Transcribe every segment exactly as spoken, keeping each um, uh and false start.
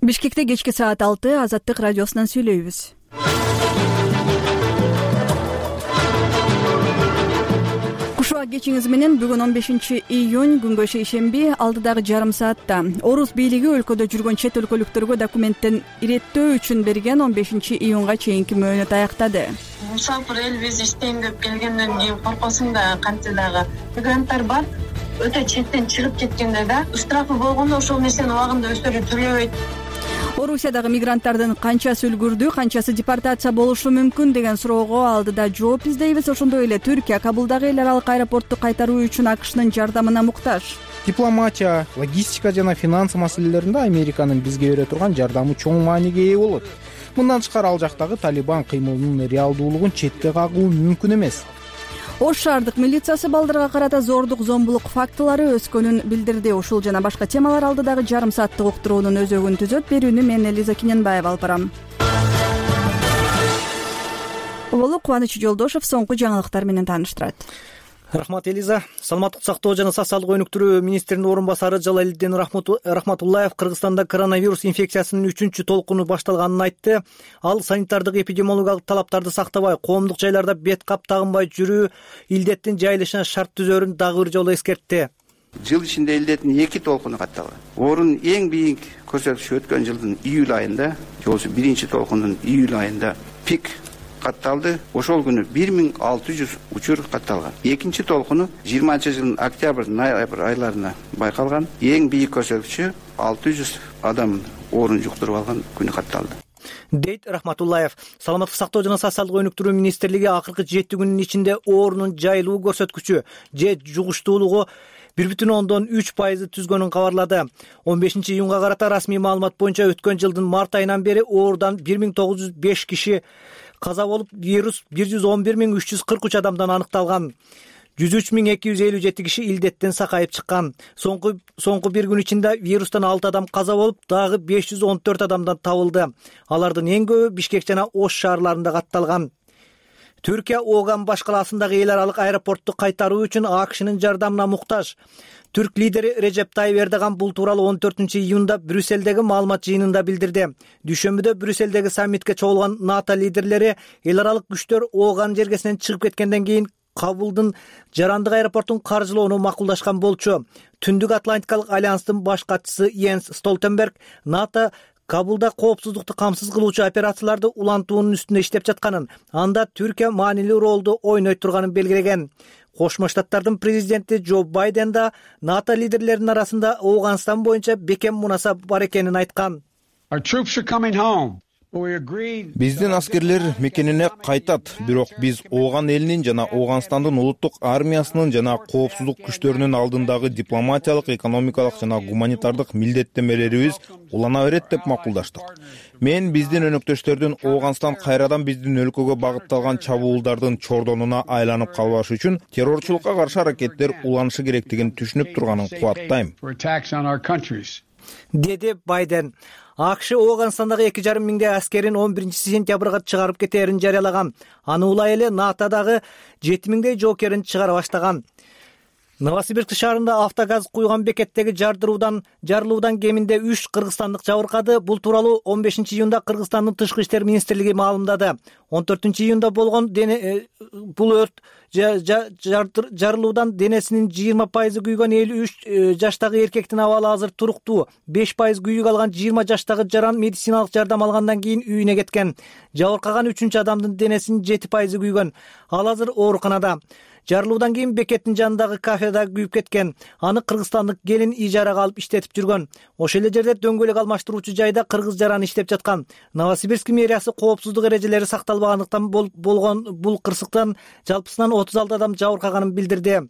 Бишкекте кечки саат алты Азаттык радиосунан сүйлөйбүз. Кушуа кечиңиз менен бүгүн он бешинчи июнь күнгө шейшемби алдыдагы жарым саатта орус бийлиги өлкөдө жүргөн чет өлкөлүктөргө документтен иреттөө үчүн берген он бешинчи июнга чейинки мөөнөт аяктады. Мусафир эл биз иштейм деп келгенден кийин коркосуң да кантсе дагы мигранттар бар. Өтө четтен чыгып кеткенде да штрафы болгондо ошол нерсени убагында өздөрү төлөбөйт. Орусиядагы мигранттардын канчасы үлгүрдү, канчасы депортация болушу мүмкүн деген суроого алдыда жооп издейбиз. Ошондой эле Түркия Кабулдагы эл аралык аэропортту кайтаруу үчүн АКШнын жардамына муктаж. Дипломатия, логистика жана финанс маселелеринде Американын бизге бере турган жардамы чоң мааниге ээ болот. Мындан тышкары ал жактагы Талибан кыймылынын реалдуулугун четке кагуу мүмкүн эмес. Ош шаардык милициясы балдарга карата зордук зомбулук фактылары өскөнүн билдирди. Ушул жана башка темалар алдыдагы жарым сааттык уктуруунун өзөгүн түзөт. Берүүнү мен Элиза Киненбаева алып барам. Болу Кубаныч Жолдошов соңку жаңылыктар менен тааныштырат. Рахмат, Элиза. Саламаттык сактоо жана социалдык өнүктүрүү министринин орун басары Жалалиддин Рахматуллаев Кыргызстанда коронавирус инфекциясынын үчүнчү толкуну башталганын айтты. Ал санитардык эпидемиологиялык талаптарды сактабай, коомдук жайларда бет кап тагынбай жүрүү илдеттин жайылышына шарт түзөрүн дагы бир жолу эскертти. Жыл ичинде илдеттин эки толкуну катталган. Орун эң бийик көрсөткүч өткөн жылдын июль айында, жолсу биринчи толкундун июль айында пик катталды. Ошол күнү бир миң алты жүз учур катталган. Экинчи толкуну жыйырманчы жылдын октябрь, ноябрь айларына байкалган. Эң бийик көрсөткүчү алты жүз адам оорун жуктуруп алган күнү катталды, дейт Рахматуллаев. Саламаттык сактоо жана социалдык өнүктүрүү министрлиги акыркы жети күнүн ичинде оорунун жайылуу көрсөткүчү же жугуштуулугу бир бүтүн ондон үч пайызды түзгөнүн кабарлады. он бешинчи июнга карата расмий маалымат боюнча өткөн жылдын март айынан бери оорудан бир миң тогуз жүз беш киши каза болуп, вирус бир жүз он бир миң үч жүз кырк үч адамдан аныкталган. жүз үч миң эки жүз элүү жети киши илдеттен сакайып чыккан. Соңку соңку бир күн ичинде вирустан алты адам каза болуп, дагы беш жүз он төрт адамдан табылды. Алардын эң көбү Бишкек жана Ош шаарларында катталган. Түркия Оган баш калаасындагы эл аралык аэропортту кайтаруу үчүн АКШнын жардамына муктаж. Түрк лидери Режеп Тайип Эрдоган бул тууралуу он төртүнчү июнда Брюссельдеги маалымат жыйынында билдирди. Дүйшөмбүдө Брюссельдеги саммитке чогулган НАТО лидерлери эл аралык күчтөр Оган жергесинен чыгып кеткенден кийин Кабулдун жарандык аэропортун каржылоону макулдашкан болчу. Түндүк Атлантикалык альянстын баш катчысы Йенс Столтенберг НАТО Кабулда коопсуздукту камсыз кылуучу операцияларды улантуунун үстүндө иштеп жатканын, анда Түркия маанилүү ролду ойной турганын белгилеген. Кошмо Штаттардын президенти Джо Байден да НАТО лидерлеринин арасында Ооганстан боюнча бекем мунасап бар экенин айткан. Биздин аскерлер мекенине кайтат, бирок биз Ооган элинин жана Ооганстандын улуттук армиясынын жана коопсуздук күчтөрүнүн алдындагы дипломатиялык, экономикалык жана гуманитардык милдеттенмелерибиз улана берет деп макулдаштык. Мен биздин өнөктөштөрдүн Ооганстан кайрадан биздин өлкөгө багытталган чабуулдардын чордонуна айланып калбаш үчүн террорчулукка каршы аракеттер уланышы керектигин түшүнүп турганын кубаттайм, деди Байден. АКШ Ооганстандагы эки жарым миңдей аскерин он биринчи сентябрга чыгарып кетээрин жарыялаган. Аны улай эле НАТОдагы жети миңдей жоокерин чыгара баштаган. Новосибирск шаарында автогаз куйган бекеттеги жардыруудан жарылуудан кеминде үч кыргызстандык жабыркады. Бул тууралуу он бешинчи июнда Кыргызстандын тышкы иштер министрлиги маалымдады. он төртүнчү июнда болгон дене бул өрт жарылуудан денесинин жыйырма пайызы күйгөн элүү үч жаштагы эркектин абалы азыр туруктуу. беш пайыз күйүк алган жыйырма жаштагы жаран медициналык жардам алгандан кийин үйүнө кеткен. Жабыркаган үчүнчү адамдын денесинин жети пайызы күйгөн. Ал азыр ооруканада. Жарылуудан кийин бекеттин жанындагы кафеда күйүп кеткен. Аны кыргызстандык келин ижарага алып иштетип жүргөн. Ошол эле жерде дөңгөлөк алмаштыруучу жайда кыргыз жараны иштеп жаткан. Новосибирск мэриясы коопсуздук эрежелери сакталбагандыктан болгон бул кырсыктан жалпысынан отуз алты адам жабыркаганын билдирди.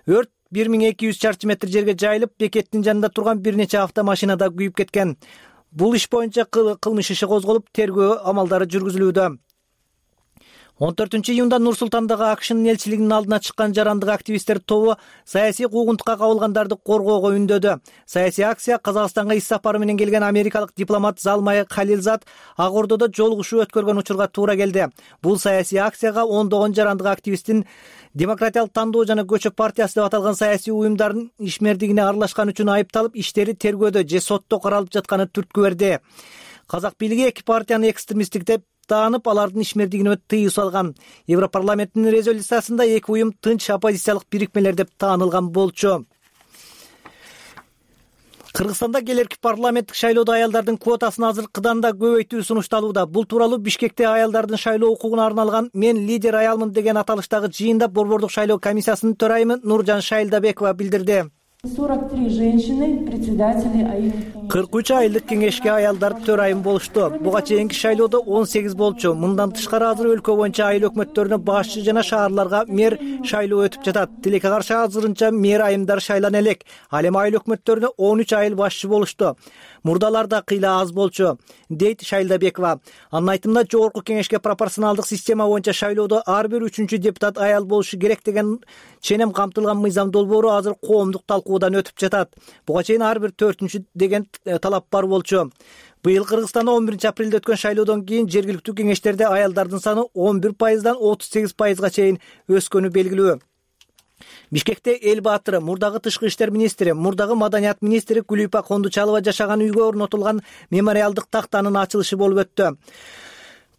Өрт бир миң эки жүз чарчы метр жерге жайылып, бекеттин жанында турган бир нече автомашинада күйүп кеткен. Бул иш боюнча кылмыш иши козголуп, тергөө амалдары жүргүзүлүүдө. он төртүнчү июнда Нур Султандагы АКШнын элчилигинин алдына чыккан жарандык активисттер тобу саясий куугунтукка кабылгандарды коргоого үндөдү. Саясий акция Казакстанга иш сапары менен келген америкалык дипломат Залмай Халилзад Ак Ордодо жолугушуу өткөргөн учурга туура келди. Бул саясий акцияга ондогон жарандык активисттин Демократиялык тандоо жана көчөп партиясы деп аталган саясий уюмдардын ишмердигине аралашкан үчүн айыпталып, иштери тергөөдө же сотто каралып жатканы түрткү берди. Казак бийлиги эки партияны экстремисттик деп таанып, алардын ишмердигине тыюу салган. Европарламенттин резолюциясында эки уюм тынч оппозициялык бирикмелер деп таанылган болчу. Кыргызстанда келерки парламенттик шайлоодо аялдардын квотасын азыркыдан да көбөйтүү сунушталууда. Бул тууралуу Бишкекте аялдардын шайлоо укугуна арналган "Мен лидер аялмын" деген аталыштагы жыйында Борбордук шайлоо комиссиясынын төрайымы Нуржан Шайлдабекова билдирди. сорок три женщины председатели айылдык кырк үч айылдык кеңешке аялдар төрайым болушту. Буга чейинки шайлоодо он сегиз болчу. Мындан тышкары азыр өлкө боюнча айыл өкмөттөрүнө башчы жана шаарларга мэр шайлоо өтүп жатат. Тилекке каршы азырынча мэр айымдар шайлана элек. Ал эми айыл өкмөттөрүнө он үч айыл башчы болушту. Мурдаларда кыйла аз болчу, дейт Шайлдабекова. Анын айтымында жогорку кеңешке пропорционалдык система боюнча шайлоодо ар бир үчүнчү депутат аял болушу керек деген ченем камтылган мыйзам долбоору азыр коомдук талкуудан өтүп жатат. Буга чейин ар бир төртүнчү деген талап бар болчу. Быйыл Кыргызстанда он биринчи апрелде өткөн шайлоодон кийин жергиликтүү кеңештерде аялдардын саны он бир пайыздан отуз сегиз пайызга чейин өскөнү белгилүү. Бишкекте эл баатыры, мурдагы тышкы иштер министри, мурдагы маданият министри Гүлүпа Кондучалова жашаган үйгө орнотулган мемориалдык тактанын ачылышы болуп өттү.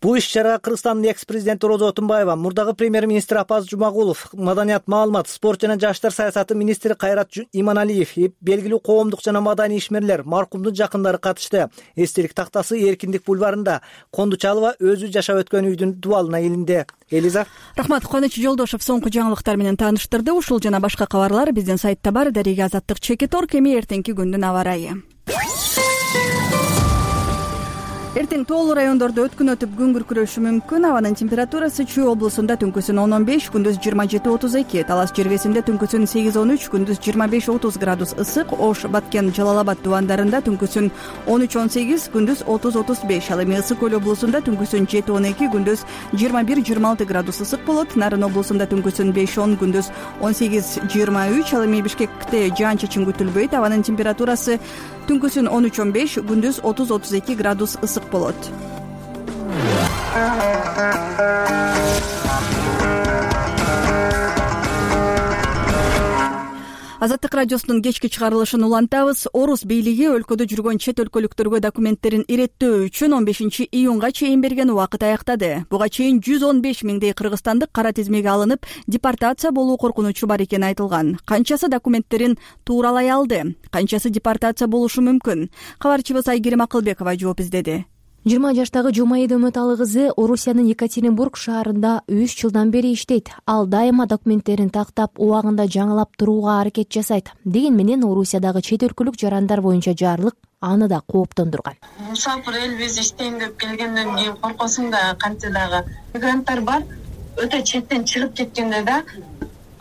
Бул иш-чарага Кыргызстандын экс-президенти Роза Отунбаева, мурдагы премьер-министр Апаз Жумагулов, маданият, маалымат, спорт жана жаштар саясаты министри Кайрат Иманалиев, белгилүү коомдук жана маданий ишмерлер, маркумдун жакындары катышты. Эстелик тактасы Эркиндик бульварында. Кондучалова өзү жашап өткөн үйдүн дубалына илинди. Элиза. Рахмат. Кубаныч Жолдошов соңку жаңылыктар менен тааныштырды. Ушул жана башка кабарлар биздин сайтта бар. Дарига Азаттык Чекитор. Эми эртеңки күндүн аба ырайы. Эртең тоолуу райондордо өткүн өтүп күн күркүрөшү мүмкүн. Абанын температурасы Чүй облусунда түнкүсүн он он беш, күндүз жыйырма жети отуз эки, Талас жергесинде түнкүсүн сегиз он үч, күндүз жыйырма беш отуз градус ысык, Ош, Баткен, Жалал-Абад тубандарында түнкүсүн он үч он сегиз, күндүз отуз отуз беш, ал эми Ысык көл облусунда түнкүсүн жети он эки, күндүз жыйырма бир жыйырма алты градус ысык болот. Нарын облусунда түнкүсүн беш он, күндүз он сегиз жыйырма үч, ал эми Бишкекте жаан-чачын күтүлбөйт. Абанын температурасы түнкүсүн он үч он беш, күндүз отуз отуз эки градус ысык болот. Азаттык радиосунун кечки чыгарылышын улантабыз. Орус бийлиги өлкөдө жүргөн чет өлкөлүктөргө документтерин иреттөө үчүн он бешинчи июнга чейин берген убакыт аяктады. Буга чейин жүз он беш миңдей кыргызстандык кара тизмеге алынып, депортация болуу коркунучу бар экени айтылган. Канчасы документтерин тууралай алды, канчасы депортация болушу мүмкүн? Кабарчыбыз Айгерим Акылбекова жооп издеди. жыйырма жаштагы Жумаида Үмөталы кызы Орусиянын Екатеринбург шаарында үч жылдан бери иштейт. Ал дайыма документтерин тактап, убагында жаңылап турууга аракет жасайт. Деген менен Орусиядагы чет өлкөлүк жарандар боюнча жарлык аны да кооптондурган. Мусафир элбиз иштейм деп келгенден кийин коркосуң да, кантсе дагы мигранттар бар. Өтө четтен чыгып кеткенде да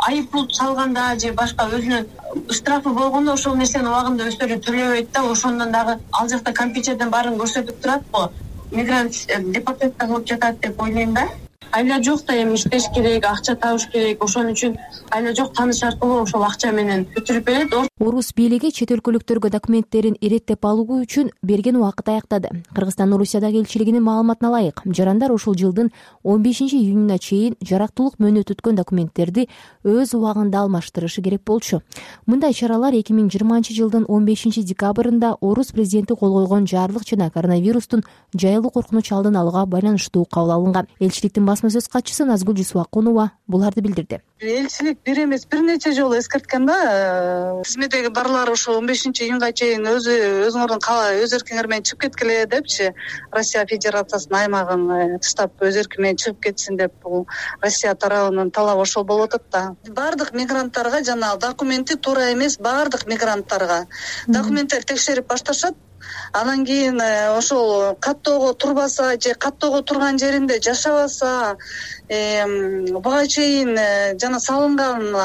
айып пул салганда же башка өзүнүн штрафы болгондо ошол нерсени убагында өздөрү төлөбөйт да, ошондон дагы ал жакта компьютерден баарын көрсөтүп турат го. Мигрант депортация кылып жатат деп ойлойм да. Айла жок да эми иштеш керек, акча табыш керек. Ошон үчүн айла жок тааныш аркылуу ошол акча менен өтүрүп берет. Орус бийлиги чет өлкөлүктөргө документтерин иреттеп алуу үчүн берген убакыт аяктады. Кыргызстан Орусиядагы элчилигинин маалыматына ылайык, жарандар ушул жылдын он бешинчи июнуна чейин жарактуулук мөөнөт өткөн документтерди өз убагында алмаштырышы керек болчу. Мындай чаралар эки миң жыйырманчы жылдын он бешинчи декабрында Орус президенти кол койгон жарлык жана коронавирустун жайылуу коркунучу алдын алууга байланыштуу кабыл алынган. Элчиликтин басма сөз катчысы Назгүл Жусупакунова буларды билдирди. Элчилик бир эмес бир нече жолу эскерткен да, тизмедеги барлар ошо он бешинчи июнга чейин өзү өзүңөрдүн калаа өз эркиңер менен чыгып кеткиле депчи. Россия Федерациясынын аймагын тыштап өз эрки менен чыгып кетсин деп бул Россия тарабынын талабы ошол болуп атат да. Бардык мигранттарга жана документи туура эмес бардык мигранттарга документтер текшерип башташат. Анан кийин ошол каттоого турбаса же каттоого турган жеринде жашабаса, буга чейин жана салынган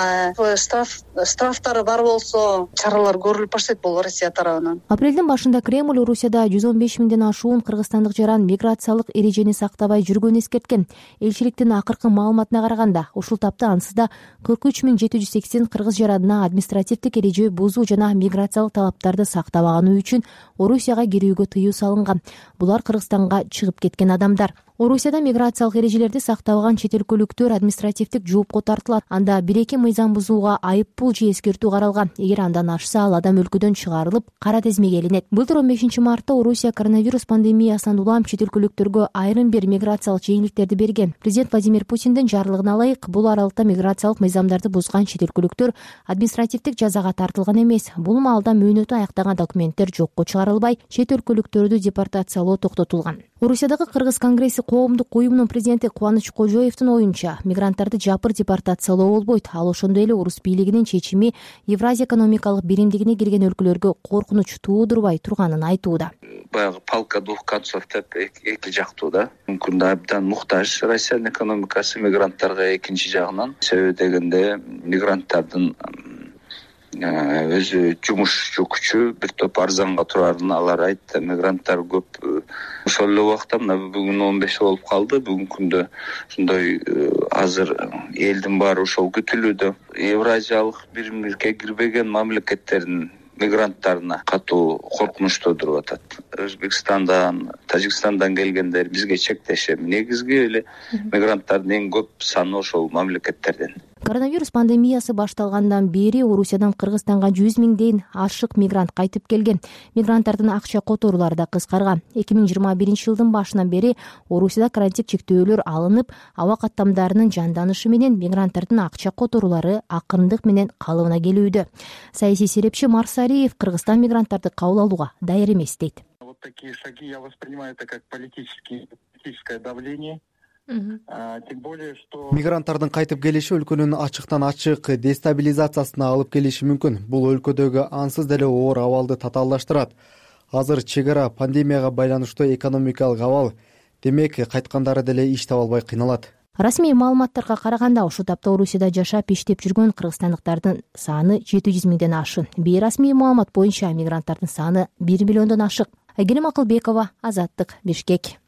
штраф штрафтары бар болсо чаралар көрүлүп баштайт болобу Россия тарабынан. Апрелдин башында Кремль Орусияда жүз он беш миңден ашуун кыргызстандык жаран миграциялык эрежени сактабай жүргөнүн эскерткен. Элчиликтин акыркы маалыматына караганда, ушул тапта ансызда кырк үч миң жети жүз сексен кыргыз жаранына административдик эреже бузуу жана миграциялык талаптарды сактабаганы үчүн Орусияга кирүүгө тыюу салынган. Булар Кыргызстанга чыгып кеткен адамдар. Орусияда миграциялык эрежелерди сактабаган чет өлкөлүктөр административдик жоопко тартылат. Анда бир-эки мыйзам бузууга айып пул же эскертүү каралган. Эгер андан ашса, ал адам өлкөдөн чыгарылып, кара тизмеге илинет. Былтыр он бешинчи мартта Орусия коронавирус пандемиясынан улам чет өлкөлүктөргө айрым бир миграциялык жеңилдиктерди берген. Президент Владимир Путиндин жарлыгына ылайык, бул аралыкта миграциялык мыйзамдарды бузган чет өлкөлүктөр административдик жазага тартылган эмес. Бул маалда мөөнөтү аяктаган документтер жокко чыгарылбай, чет өлкөлүктөрдү депортациялоо токтотулган. Орусиядагы Кыргыз конгресси коомдук уюмунун президенти Кубаныч Кожоевдин оюнча, мигранттарды жапыр депортациялоо болбойт. Ал ошондой эле орус бийлигинин чечими Евразия экономикалык биримдигине кирген өлкөлөргө коркунуч туудурбай турганын айтууда. Баягы палка двух концов деп эки жактуу да. Мүмкүн да абдан муктаж Россиянын экономикасы мигранттарга экинчи жагынан. Себеби дегенде мигранттардын өзү жумуш күчү бир топ арзанга турарын алар айтты. Мигранттар көп. Ошол эле убакта мына бүгүн он беш болуп калды. Бүгүнкү күндө ушундай азыр элдин баары ошол күтүлүүдө. Евразиялык биримдикке кирбеген мамлекеттердин мигранттарына катуу коркунучта туруп атат. Өзбекстандан, Тажикстандан келгендер бизге чектешет. Негизги эле мигранттардын эң көп саны ошол мамлекеттерден. Коронавирус пандемиясы башталгандан бери Орусиядан Кыргызстанга жүз миңден ашык мигрант кайтып келген. Мигранттардын акча которуулары да кыскарган. эки миң жыйырма биринчи жылдын башынан бери Орусияда карантин чектөөлөр алынып, аба каттамдарынын жанданышы менен мигранттардын акча которуулары акырындык менен калыбына келүүдө. Саясий серепчи Марсариев Кыргызстан мигранттарды кабыл алууга даяр эмес дейт. Вот такие шаги я воспринимаю это как политическое давление. Тем более, что мигранттардын кайтып келиши өлкөнүн ачыктан ачык дестабилизациясына алып келиши мүмкүн. Бул өлкөдөгү ансыз деле оор абалды татаалдаштырат. Азыр чек ара, пандемияга байланыштуу экономикалык абал, демек кайткандары деле иш таба албай кыйналат. Расмий маалыматтарга караганда, ушул тапта Орусияда жашап иштеп жүргөн кыргызстандыктардын саны жети жүз миңден ашык. Бейрасмий маалымат боюнча мигранттардын саны бир миллиондон ашык. Айгерим Акылбекова, Азаттык, Бишкек.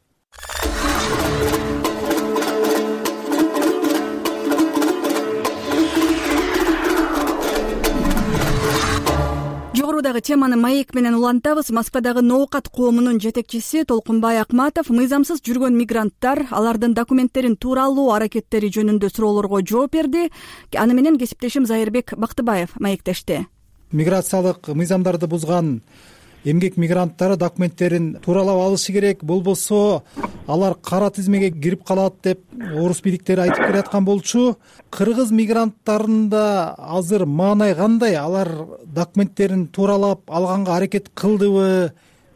Жогорудагы теманы маек менен улантабыз. Москвадагы Ноокат коомунун жетекчиси Толкунбай Акматов мыйзамсыз жүргөн мигранттар, алардын документтерин туура алуу аракеттери жөнүндө суроолорго жооп берди. Аны менен кесиптешим Зайырбек Бактыбаев маектешти. Миграциялык мыйзамдарды бузган эмгек мигранттары документтерин тууралап алышы керек, болбосо алар кара тизмеге кирип калат деп орус бийликтери айтып келаткан болчу. Кыргыз мигранттарында азыр маанай кандай? Алар документтерин тууралап алганга аракет кылдыбы?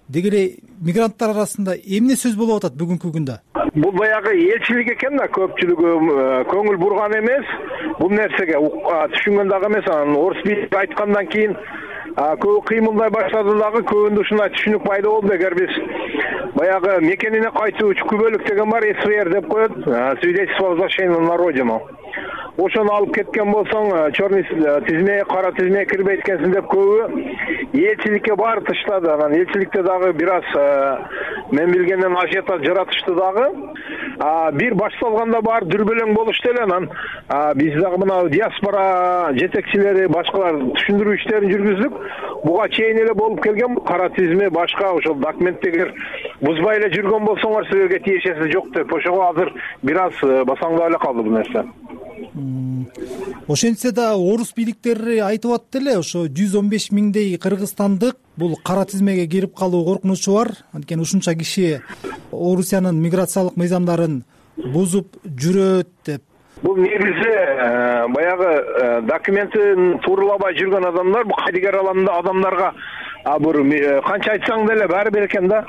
Деги эле мигранттар арасында эмне сөз болуп атат бүгүнкү күндө? Бул баягы элчилик экен да, көпчүлүгү көңүл бурган эмес. Бул нерсеге түшүнгөн дагы эмес. Анан орус бийлиги айткандан кийин көбү кыймылдай баштады дагы, көбүндө ушундай түшүнүк пайда болду. Эгер биз баягы мекенине кайтуучу күбөлүк деген бар, эс вэ эр деп коет, свидетельство о возвращении на родину. Ошону алып кеткен болсоң, черный тизме, кара тизмеге кирбейт экенсиң деп көбү элчиликке баары таштады. Анан элчиликте дагы бир аз мен билгенден ажиотаж жаратышты дагы. Бир башталганда баары дүрбөлөң болушту эле. Анан биз дагы мына диаспора жетекчилери, башкалар түшүндүрүү иштерин жүргүздүк. Буга чейин эле болуп келген кара тизме, башка ошол документтегер бузбай эле жүргөн болсоңор силерге тиешеси жок деп, ошого азыр бир аз басаңдап эле калды бул нерсе. Ошентсе да орус бийликтери айтып атты эле, ошо жүз он беш миңдей кыргызстандык бул кара тизмеге кирип калуу коркунучу бар. Анткени ушунча киши Орусиянын миграциялык мыйзамдарын бузуп жүрөт деп. Бул негизи баягы документин тууралабай жүргөн адамдар, бул кайдыгер адамдарга бир канча айтсаң деле баары бир экен да.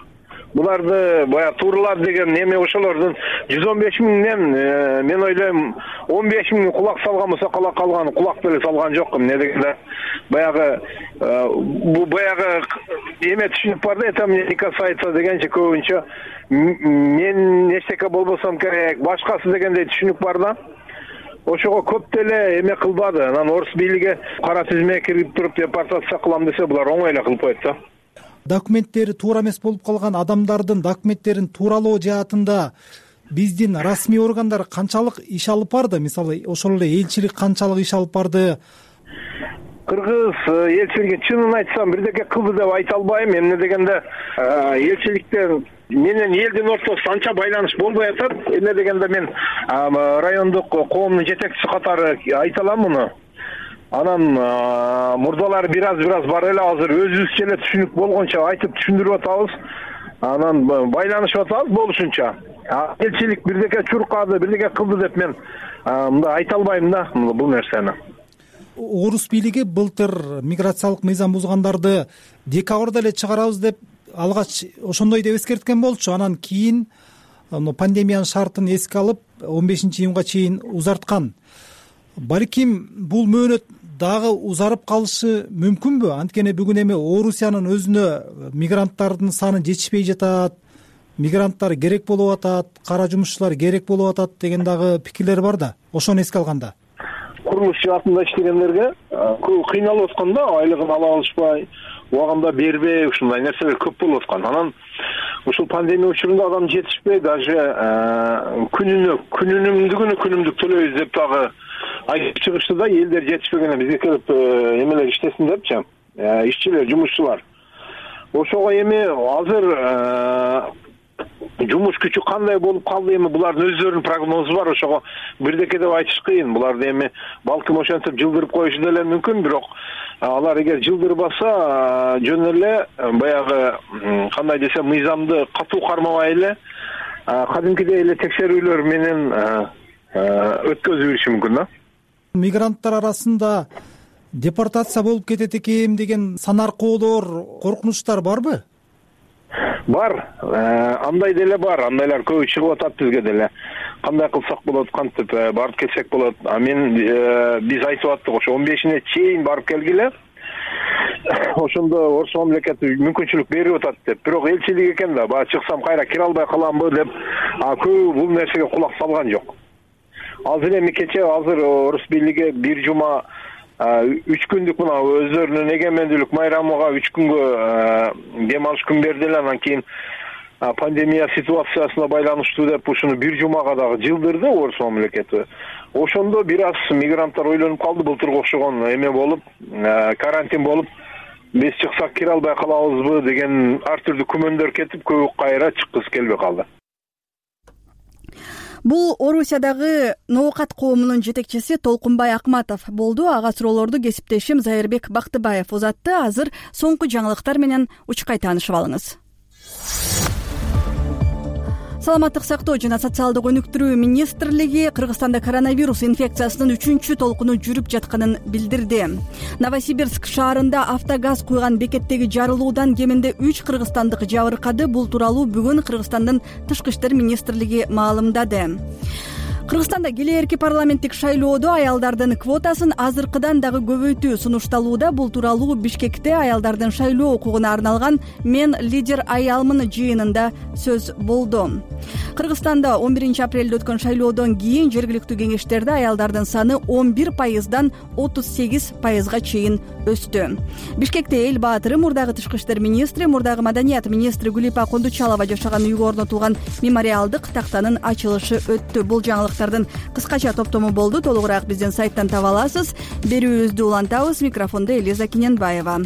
буларды баягы тууралар деген эме ошолордун жүз он беш миңден мен ойлойм он беш миң кулак салган болсо кала калган кулак деле салган жок. Эмне дегенде баягы бул баягы эме түшүнүк бар да, это мне не касается дегенче көбүнчө мен эчтеке болбосом керек, башкасы дегендей түшүнүк бар да. Ошого көп деле эме кылбады. Анан орус бийлиги кара тизмеге кирип туруп депортация кылам десе, булар оңой эле кылып коет да. Документтери туура эмес болуп калган адамдардын документтерин тууралоо жаатында биздин расмий органдар канчалык иш алып барды? Мисалы, ошол эле элчилик канчалык иш алып барды? Кыргыз элчилиги чынын айтсам бирдеке кылды деп айта албайм. Эмне дегенде элчиликтер менен элдин ортосунда анча байланыш болбой атат. Эмне дегенде мен райондук коомдун жетекчиси катары айта алам муну. Анан мурдалары бир аз бир аз бар эле, азыр өзүбүзчө эле түшүнүк болгончо айтып түшүндүрүп атабыз. Анан байланышып атабыз болушунча. Элчилик бирдеке чуркады, бирдеке кылды деп мен мындай айта албайм да бул нерсени. Орус бийлиги былтыр миграциялык мыйзам бузгандарды декабрда эле чыгарабыз деп алгач ошондой деп эскерткен болчу. Анан кийин пандемиянын шартын эске алып он бешинчи июнга чейин узарткан. Балким бул мөөнөт дагы узарып калышы мүмкүнбү? Анткени бүгүн эми Орусиянын өзүнө мигранттардын саны жетишпей жатат, мигранттар керек болуп атат, кара жумушчулар керек болуп атат деген дагы пикирлер бар да. Ошону эске алганда курулуш жаатында иштегендерге көп кыйналып аткан да, айлыгын ала алышпай, убагында бербей, ушундай нерселер көп болуп аткан. Анан ушул пандемия учурунда адам жетишпей, даже күнүнө күнүнүмдүгүнө күнүмдүк төлөйбүз деп дагы айтып чыгышты да, элдер жетишпегенде бизге келип эмелер иштесин депчи, ишчилер, жумушчулар. Ошого эми азыр жумуш күчү кандай болуп калды, эми булардын өздөрүнүн прогнозу бар, ошого бирдеке деп айтыш кыйын. Буларды эми балким ошентип жылдырып коюшу деле мүмкүн, бирок алар эгер жылдырбаса жөн эле баягы кандай десе мыйзамды катуу кармабай эле кадимкидей эле текшерүүлөр менен өткөзүп бериши мүмкүн да. Мигранттар арасында депортация болуп кетет экен деген санаркоолор, коркунучтар барбы? Бар, андай деле бар, андайлар көбү чыгып атат бизге деле. Кандай кылсак болот, кантип барып келсек болот. А мен биз айтып аттык, ошо он бешине чейин барып келгиле. Ошондо Орус мамлекети мүмкүнчүлүк берип атат деп. Бирок элчилик экен да, баа чыксам кайра кире албай каламбы деп, көбү бул нерсеге кулак салган жок. Азыр эми кече азыр Орус бийлиги бир жума үч күндүк мына өздөрүнүн эгемендүүлүк майрамыга үч күнгө дем алыш күн бердилер. Анан кийин пандемия ситуациясына байланыштуу деп ушуну бир жумага дагы жылдырды Орус мамлекети. Ошондо бир аз мигранттар ойлонуп калды, былтырга окшогон эме болуп, карантин болуп, биз чыксак кире албай калабызбы деген ар түрдүү күмөндөр кетип, көбү кайра чыккысы келбей калды. Бул Орусиядагы ноокат коомунун жетекчиси Толкунбай Акматов болду. Ага суроолорду кесиптешим Зайырбек Бактыбаев узатты. Азыр соңку жаңылыктар менен учкай таанышып алыңыз. Саламаттык сактоо жана социалдык өнүктүрүү министрлиги Кыргызстанда коронавирус инфекциясынын үчүнчү толкуну жүрүп жатканын билдирди. Новосибирск шаарында автогаз куйган бекеттеги жарылуудан кеминде үч кыргызстандык жабыркады. Бул тууралуу бүгүн Кыргызстандын тышкы иштер министрлиги маалымдады. Кыргызстанда келээрки парламенттик шайлоодо аялдардын квотасын азыркыдан дагы көбөйтүү сунушталууда. Бул тууралуу Бишкекте аялдардын шайлоо укугуна арналган «Мен лидер аялмын» жыйынында сөз болду. Кыргызстанда он биринчи апрелде өткөн шайлоодон кийин жергиликтүү кеңештерде аялдардын саны он бир пайыздан отуз сегиз пайызга чейин өстү. Бишкекте эл баатыры, мурдагы тышкы иштер министри, мурдагы маданият министри Гүлипа Кондучалова жашаган үйгө орнотулган мемориалдык тактанын ачылышы өттү. Бул жаңылыктардын кыскача топтому болду. Толугураак биздин сайттан таба аласыз. Берүүбүздү улантабыз. Микрофондо Элиза Киненбаева.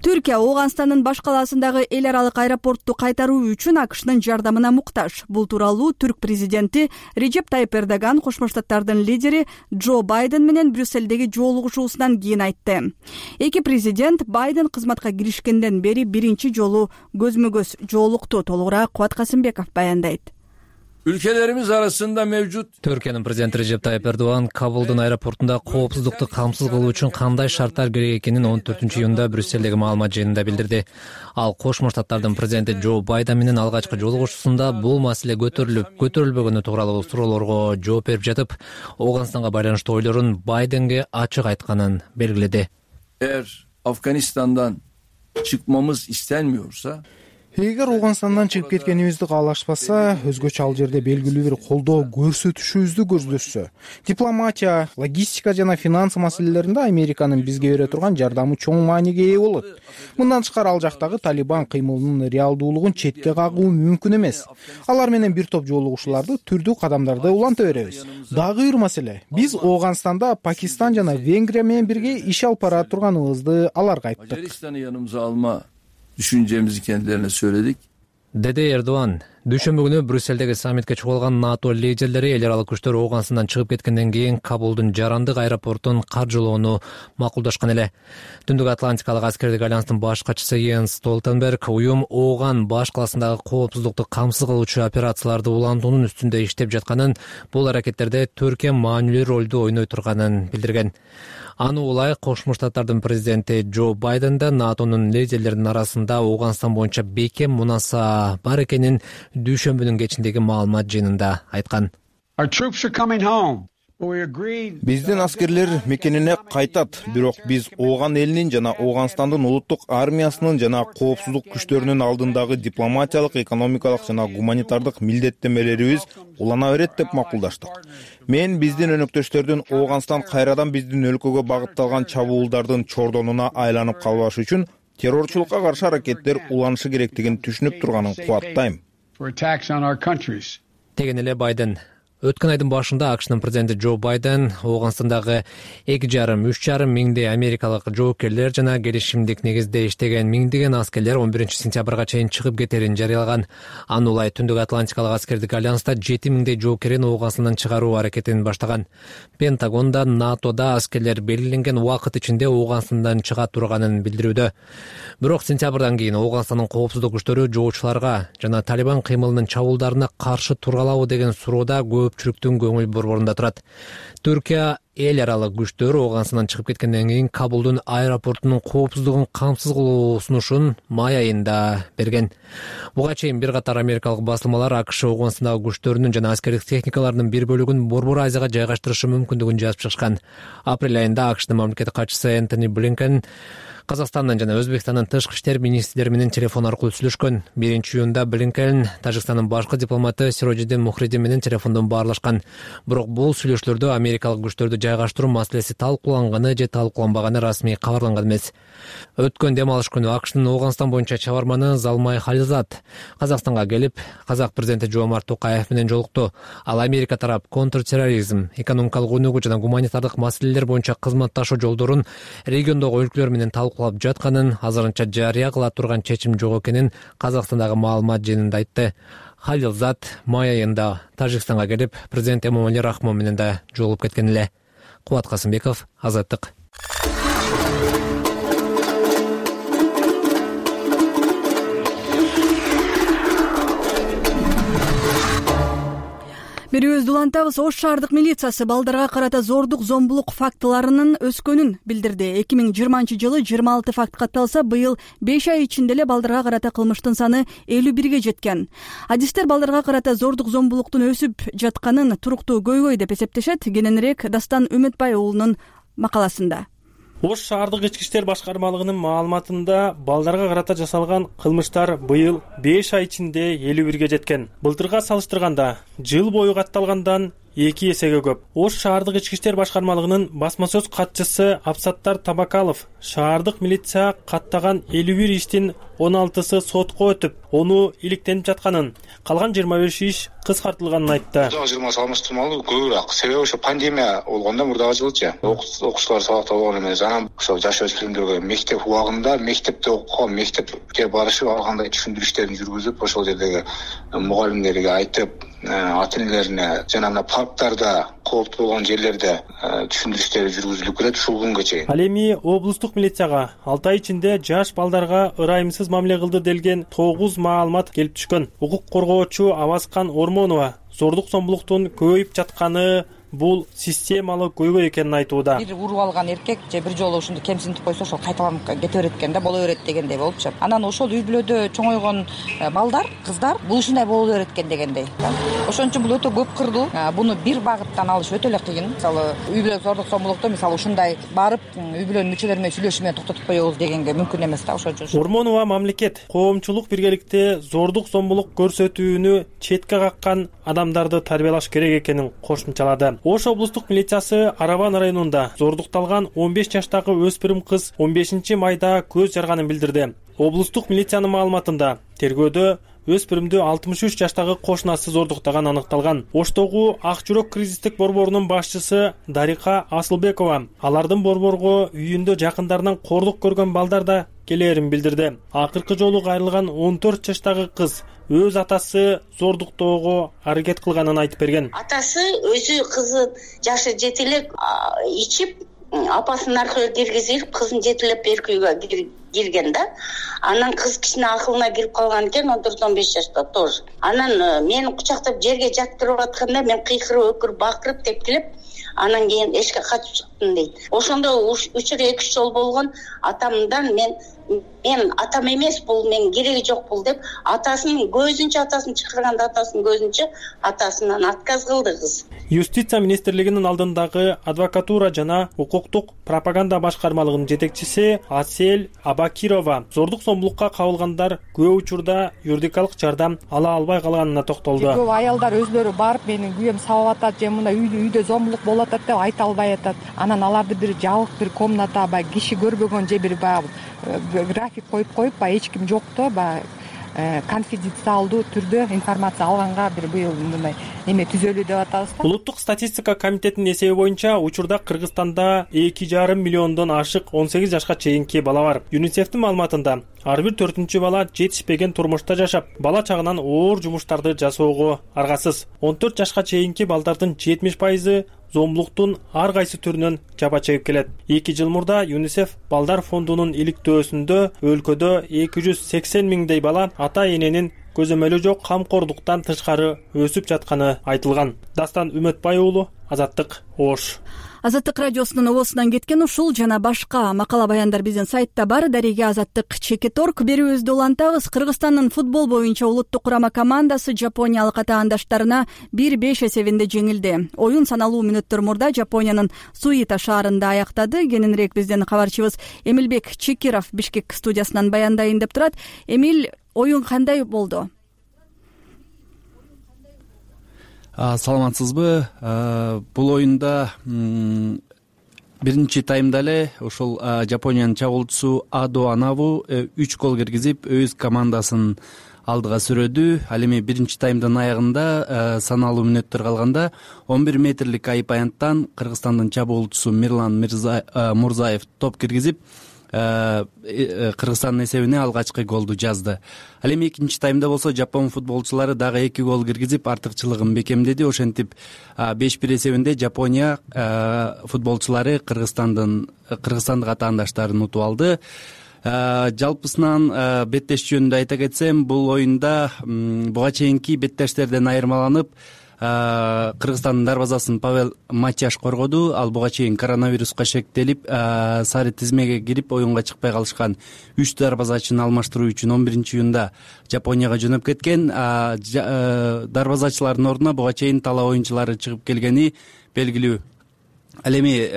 Түркия Ооганстандын баш калаасындагы эл аралык аэропортту кайтаруу үчүн АКШнын жардамына муктаж. Бул тууралуу түрк президенти Режеп Тайып Эрдоган Кошмо Штаттардын лидери Джо Байден менен Брюссельдеги жолугушуусунан кийин айтты. Эки президент Байден кызматка киришкенден бери биринчи жолу көзмө көз жолукту. Толугураак Кубат Касымбеков баяндайт. ülkelerimiz arasında mevcut. Türkiye'nin prezidenti Recep Tayyip Erdoğan Kabul'dun aeroportunda коопсуздукту камсыз кылуу үчүн кандай шарттар керек экенин он төртүнчү июнда Брюссельдеги маалымат жыйынында билдирди. Ал Кошмо Штаттардын президенти Джо Байден менен алгачкы жолугушуусунда бул маселе көтөрүлүп, көтөрүлбөгөнү тууралуу суроолорго жооп берип жатып, Ооганстанга байланыштуу ойлорун Байденге ачык айтканын белгиледи. Eğer Afganistan'dan çıkmamız istenmiyorsa, эгер Ооганстандан чыгып кеткенибизди каалашпаса, өзгөчө ал жерде белгилүү бир колдоо көрсөтүшүбүздү көздөшсө, дипломатия, логистика жана финанс маселелеринде Американын бизге бере турган жардамы чоң мааниге ээ болот. Мындан тышкары ал жактагы Талибан кыймылынын реалдуулугун четке кагуу мүмкүн эмес. Алар менен бир топ жолугушууларды, түрдүү кадамдарды уланта беребиз. Дагы бир маселе, биз Ооганстанда Пакистан жана Венгрия менен бирге иш алып бара турганыбызды аларга айттык. Macaristan'ı yanımıza alma düşüncemizi kendilerine söyledik. Деди Эрдоган. Дүйшөмбү күнү Брюссельдеги саммитке чыгып алган НАТО лидерлери эл аралык күчтөр Ооганстандан чыгып кеткенден кийин Кабулдун жарандык аэропортун каржылоону макулдашкан эле. Түндүк Атлантикалык аскердик альянстын баш катчысы Йенс Столтенберг уюм Ооган баш каласындагы коопсуздукту камсыз кылуучу операцияларды улантуунун үстүндө иштеп жатканын, бул аракеттерде Түркия маанилүү ролду ойной турганын билдирген. Аны улай Кошмо Штаттардын президенти Джо Байден да НАТОнун лидерлеринин арасында Ооганстан боюнча бекем мунаса бар экенин дүйшөмбүнүн кечиндеги маалымат жыйынында айткан. Биздин аскерлер мекенине кайтат, бирок биз Ооган элинин жана Ооганстандын улуттук армиясынын жана коопсуздук күчтөрүнүн алдындагы дипломатиялык, экономикалык жана гуманитардык милдеттенмелерибиз улана берет деп макулдаштык. Мен биздин өнөктөштөрдүн Ооганстан кайрадан биздин өлкөгө багытталган чабуулдардын чордонуна айланып калбашы үчүн террорчулукка каршы аракеттер уланышы керектигин түшүнүп турганын кубаттайм. Деген эле Байден. Өткөн айдын башында АКШнын президенти Джо Байден Ооганстандагы эки жарым үч жарым миңдей америкалык жоокерлер жана келишимдик негизде иштеген миңдеген аскерлер он биринчи сентябрга чейин чыгып кетерин жарыялаган. Аны улай Түндүк Атлантикалык аскердик альянста жети миңдей жоокерин Ооганстандан чыгаруу аракетин баштаган. Пентагонда НАТОда аскерлер белгиленген убакыт ичинде Ооганстандан чыга турганын билдирүүдө. Бирок сентябрдан кийин Ооганстандын коопсуздук күчтөрү жоочуларга жана Талибан кыймылынын чабуулдарына каршы тура алабы деген суроодо көпчүлүктүн көңүл борборунда турат. Түркия эл аралык күчтөр Ооганстандан чыгып кеткенден кийин Кабулдун аэропортунун коопсуздугун камсыз кылуу сунушун май айында берген. Буга чейин бир катар америкалык басылмалар АКШ Ооганстандагы күчтөрүнүн жана аскердик техникаларынын бир бөлүгүн Борбор Азияга жайгаштырышы мүмкүндүгүн жазып чыгышкан. Апрель айында АКШнын мамлекеттик катчысы Энтони Блинкен Казакстандын жана Өзбекстандын тышкы иштер министрлери менен телефон аркылуу сүйлөшкөн. биринчи июнда Блинкен Тажикстандын башкы дипломаты Сирожиддин Мухридин менен телефондон баарлашкан. Бирок бул сүйлөшүүлөрдө америкалык күчтөрдү жайгаштыруу маселеси талкууланганы же талкууланбаганы расмий кабарланган эмес. Өткөн дем алыш күнү АКШнын Ооганстан боюнча чабарманы Залмай Халилзат Казакстанга келип, Казак президенти Жомарт Токаев менен жолукту. Ал Америка тарап контртерроризм, экономикалык өнүгүү жана гуманитардык маселелер боюнча кызматташуу жолдорун региондогу өлкөлөр менен талкуулап жатканын, азырынча жарыя кыла турган чечим жок экенин Казакстандагы маалымат жыйынында айтты. Халилзат май айында Тажикстанга келип, президент Эмомали Рахмон менен да жолугуп кеткен эле. Кубат Касымбеков, Азаттык. Берүүбүздү улантабыз. Ош шаардык милициясы балдарга карата зордук зомбулук фактыларынын өскөнүн билдирди. эки миң жыйырманчы жылы жыйырма алты факт катталса, быйыл беш ай ичинде эле балдарга карата кылмыштын саны элүү бирге жеткен. Адистер балдарга карата зордук зомбулуктун өсүп жатканын туруктуу көйгөй деп эсептешет. Кененирээк Дастан Үмүтбай уулунун макаласында. Ош шаардык ички иштер башкармалыгынын маалыматында балдарга карата жасалган кылмыштар быйыл беш ай ичинде элүү бирге жеткен. Былтырга салыштырганда жыл бою катталгандан эки эсеге көп. Ош шаардык ички иштер башкармалыгынын басма сөз катчысы Абсаттар Табакалов шаардык милиция каттаган элүү бир иштин он алтысы сотко өтүп, ону иликтенип жатканын, калган жыйырма беш иш кыскартылганын айтты. жыйырма салыштырмалуу көбүрөөк. Себеби ошо пандемия болгондо мурдагы жылчы окуучулар сабакта болгон эмес. Анан ошо жаш өспүрүмдөргө мектеп убагында мектепте окуган, мектепке барышып ал кандай түшүндүрүү иштерин жүргүзүп, ошол жердеги мугалимдерге айтып, ата энелерине жана мына парктарда кооптуу болгон жерлерде түшүндүрүштөр жүргүзүлүп келет ушул күнгө чейин. Ал эми облустук милицияга алты ай ичинде жаш балдарга ырайымсыз мамиле кылды делген тогуз маалымат келип түшкөн. Укук коргоочу Абаскан Ормонова зордук зомбулуктун көбөйүп жатканы бул системалуу көйгөй экенин айтууда. Бир уруп алган эркек же бир жолу ушунду кемсинтип койсо ошол кайталанып кете берет экен да, боло берет дегендей болупчу. Анан ошол үй бүлөдө чоңойгон балдар, кыздар бул ушундай боло берет экен дегендей. Ошон үчүн бул өтө көп кырдуу. Буну бир багыттан алыш өтө эле кыйын. Мисалы үй бүлө зордук зомбулукту мисалы ушундай барып үй бүлөнүн мүчөлөрү менен сүйлөшүү менен токтотуп коебуз дегенге мүмкүн эмес да. Ошон үчүн Ормонова мамлекет коомчулук биргеликте зордук зомбулук көрсөтүүнү четке каккан адамдарды тарбиялаш керек экенин кошумчалады. Ош облустук милициясы Арабан районунда зордукталган он беш жаштагы өспүрүм кыз он бешинчи майда көз жарганын билдирди. Облустук милициянын маалыматында тергөөдө өспүрүмдү алтымыш үч жаштагы кошунасы зордуктаган аныкталган. Оштогу Ак жүрөк кризистик борборунун башчысы Дарика Асылбекова алардын борборго үйүндө жакындарынан кордук көргөн балдар да келээрин билдирди. Акыркы жолу кайрылган он төрт жаштагы кыз өз атасы зордуктоого аракет кылганын айтып берген. Атасы өзү кызы жашы жете эле ичип апасынын аркылуу киргизип кызын жетелеп берки үйгө кирген да. Анан кыз кичине акылына кирип калган экен, он төрт он беш жашта тоже. Анан мени кучактап жерге жаткырып атканда мен кыйкырып өкүрүп бакырып тепкилеп анан кийин эшикке качып чыктым дейт. Ошондо учур эки үч жол болгон. Атамдан мен мен атам эмес бул, мен кереги жок бул деп атасынын көзүнчө атасын чакырганда атасынын көзүнчө атасынан отказ кылды кыз. Юстиция министрлигинин алдындагы адвокатура жана укуктук пропаганда башкармалыгынын жетекчиси Асель Абакирова зордук зомбулукка кабылгандар көп учурда юридикалык жардам ала албай калганына токтолду. Көп аялдар өзлөрү барып менин күйөөм сабап атат же мындай үйдө зомбулук болуп атат деп айта албай атат. Анан аларды бир жабык бир комната баягы киши көрбөгөн же бир баягы график коюп коюп баягы эч ким жокто баягы конфиденциалдуу түрдө информация алганга бир быйыл мындай эме түзөлүү деп атабыз да. Улуттук статистика комитетинин эсеби боюнча учурда Кыргызстанда эки жарым миллиондон ашык он сегиз жашка чейинки бала бар. ЮНИСЕФтин маалыматында ар бир төртүнчү бала жетишпеген турмушта жашап, бала чагынан оор жумуштарды жасоого аргасыз. он төрт жашка чейинки балдардын жетимиш пайызы зомбулуктун ар кайсы түрүнөн жапа чегип келет. эки жыл мурда ЮНИСЕФ балдар фондунун иликтөөсүндө өлкөдө эки жүз сексен миңдей бала ата эненин көзөмөлү жок камкордуктан тышкары өсүп жатканы айтылган. Дастан Үмөтбай уулу, Азаттык, Ош. Азаттык радиосунун обосунан кеткен ушул жана башка макала баяндар биздин сайтта бар. Дареге Азаттык чекит точка орг. Берүүбүздү улантабыз. Кыргызстандын футбол боюнча улуттук курама командасы жапониялык атаандаштарына бир беш эсебинде жеңилди. Оюн саналуу мүнөттөр мурда Жапониянын Суита шаарында аяктады. Кененирээк биздин кабарчыбыз Эмилбек Чекиров Бишкек студиясынан баяндайын деп турат. Эмил, оюн кандай болду? Саламатсызбы? Бул оюнда биринчи таймда эле ошол Жапониянын чабуулчусу Адо Анаву үч гол киргизип өз командасын алдыга сүрөдү. Ал эми биринчи таймдын аягында саналуу мүнөттөр калганда он бир метрлик айып аянттан Кыргызстандын чабуулчусу Мирлан Мурзаев топ киргизип Кыргызстандын эсебине алгачкы голду жазды. Ал эми экинчи таймда болсо жапон футболчулары дагы эки гол киргизип артыкчылыгын бекемдеди. Ошентип беш бир эсебинде Жапония футболчулары Кыргызстандын кыргызстандык атаандаштарын утуп алды. Жалпысынан беттеш жөнүндө айта кетсем, бул оюнда буга чейинки беттештерден айырмаланып Кыргызстандын дарбазасын Павел Матяш коргоду. Ал буга чейин коронавируска шектелип, сары тизмеге кирип оюнга чыкпай калышкан үч дарбазачыны алмаштыруу үчүн он биринчи июнда Жапонияга жөнөп кеткен. Дарбазачылардын ордуна буга чейин талаа оюнчулары чыгып келгени белгилүү. Ал эми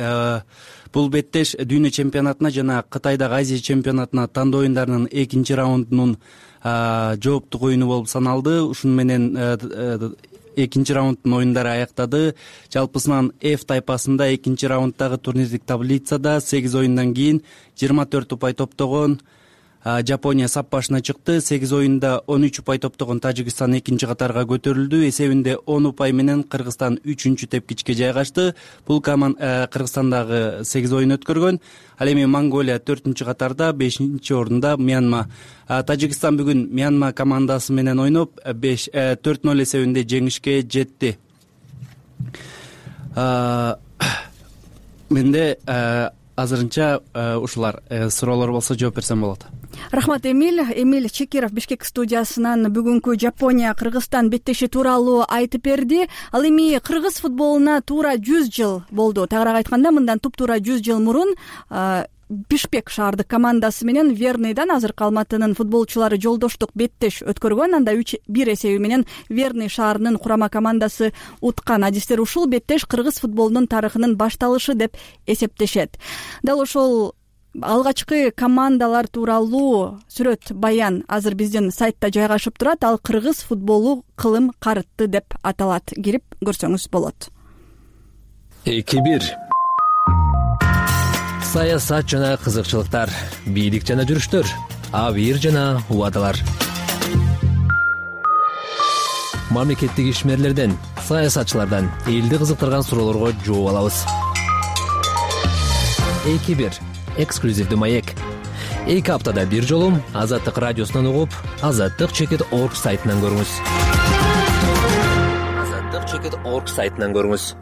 бул беттеш дүйнө чемпионатына жана Кытайдагы Азия чемпионатына тандоо оюндарынын экинчи раундунун жооптук оюну болуп саналды. Ушуну менен экинчи раунддун оюндары аяктады. Жалпысынан F тайпасында экинчи раунддагы турнирлик таблицада сегиз оюндан кийин жыйырма төрт упай топтогон Жапония сап башына чыкты. сегиз оюнда он үч упай топтогон Тажикстан экинчи катарга көтөрүлдү. Эсебинде он упай менен Кыргызстан үчүнчү тепкичке жайгашты. Бул команда Кыргызстандагы сегиз оюн өткөргөн. Ал эми Монголия төртүнчү катарда, бешинчи орунда Мьянма. Тажикстан бүгүн Мьянма командасы менен ойноп төрт ноль эсебинде жеңишке жетти. Менде азырынча ушулар. Суроолор болсо жооп берсем болот. Рахмат, Эмиль. Эмиль Чекиров Бишкек студиясынан бүгүнкү Жапония Кыргызстан беттеши тууралуу айтып берди. Ал эми кыргыз футболуна туура жүз жыл болду. Тагыраак айтканда, мындан туптуура жүз жыл мурун Бишкек шаардык командасы менен Верныйдан азыркы Алматынын футболчулары жолдоштук беттеш өткөргөн. Анда үч бир эсеби менен Верный шаарынын курама командасы уткан. Адистер ушул беттеш кыргыз футболунун тарыхынын башталышы деп эсептешет. Дал ошол алгачкы командалар тууралуу сүрөт баян азыр биздин сайтта жайгашып турат. Ал кыргыз футболу кылым карытты деп аталат. Кирип көрсөңүз болот. эки бир саясат жана кызыкчылыктар, бийлик жана жүрүштөр, абийир жана убадалар. Мамлекеттик ишмерлерден, саясатчылардан элди кызыктырган суроолорго жооп алабыз. эки бир эксклюзивдүү маек. эки аптада бир жолу Азаттык радиосунан угуп, азаттык чекит точка орг сайтынан көрүңүз. азаттык чекит точка орг сайтынан көрүңүз.